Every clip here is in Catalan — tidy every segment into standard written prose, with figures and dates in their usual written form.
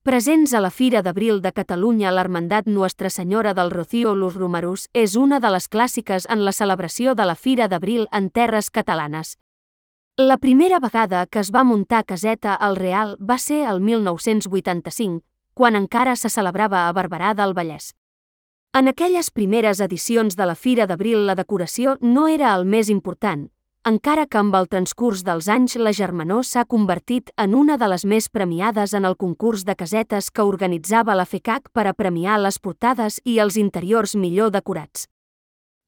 Presents a la Fira d'Abril de Catalunya, l'Hermandat Nuestra Senyora del Rocío Los Romerus és una de les clàssiques en la celebració de la Fira d'Abril en terres catalanes. La primera vegada que es va muntar caseta al Real va ser el 1985, quan encara se celebrava a Barberà del Vallès. En aquelles primeres edicions de la Fira d'Abril la decoració no era el més important, encara que amb el transcurs dels anys la Germanor s'ha convertit en una de les més premiades en el concurs de casetes que organitzava la FECAC per a premiar les portades i els interiors millor decorats.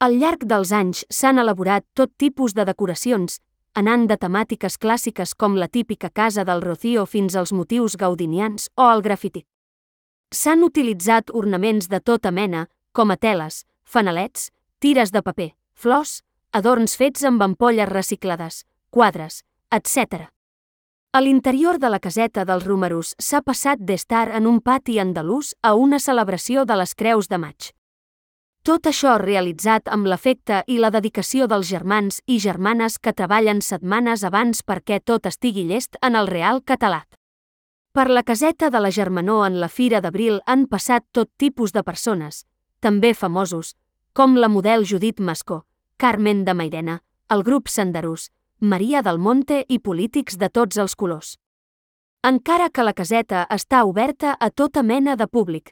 Al llarg dels anys s'han elaborat tot tipus de decoracions, anant de temàtiques clàssiques com la típica casa del Rocío fins als motius gaudinians o el grafiti. S'han utilitzat ornaments de tota mena, com a teles, fanalets, tires de paper, flors, adorns fets amb ampolles reciclades, quadres, etc. A l'interior de la caseta dels Romerus s'ha passat d'estar en un pati andalús a una celebració de les Creus de Maig. Tot això realitzat amb l'afecte i la dedicació dels germans i germanes que treballen setmanes abans perquè tot estigui llest en el Real català. Per la caseta de la Germanor en la Fira d'Abril han passat tot tipus de persones, també famosos, com la model Judit Mascó, Carmen de Mairena, el grup Senderús, Maria del Monte i polítics de tots els colors. Encara que la caseta està oberta a tota mena de públic.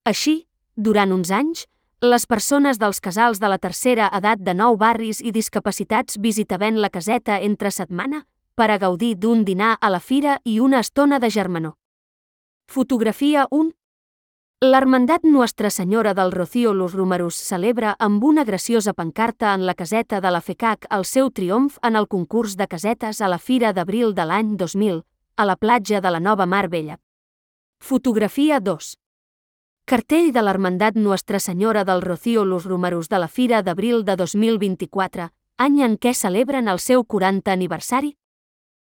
Així, durant uns anys, les persones dels casals de la tercera edat de 9 barris i discapacitats visitaven la caseta entre setmana per a gaudir d'un dinar a la fira i una estona de germanor. Fotografia 1. L'Hermandat Nuestra Senyora del Rocío Los Romerus celebra amb una graciosa pancarta en la caseta de la FECAC el seu triomf en el concurs de casetes a la Fira d'Abril de l'any 2000, a la platja de la Nova Mar Bella. Fotografia 2. Cartell de l'Hermandat Nuestra Senyora del Rocío Los Romerus de la Fira d'Abril de 2024, any en què celebren el seu 40 aniversari.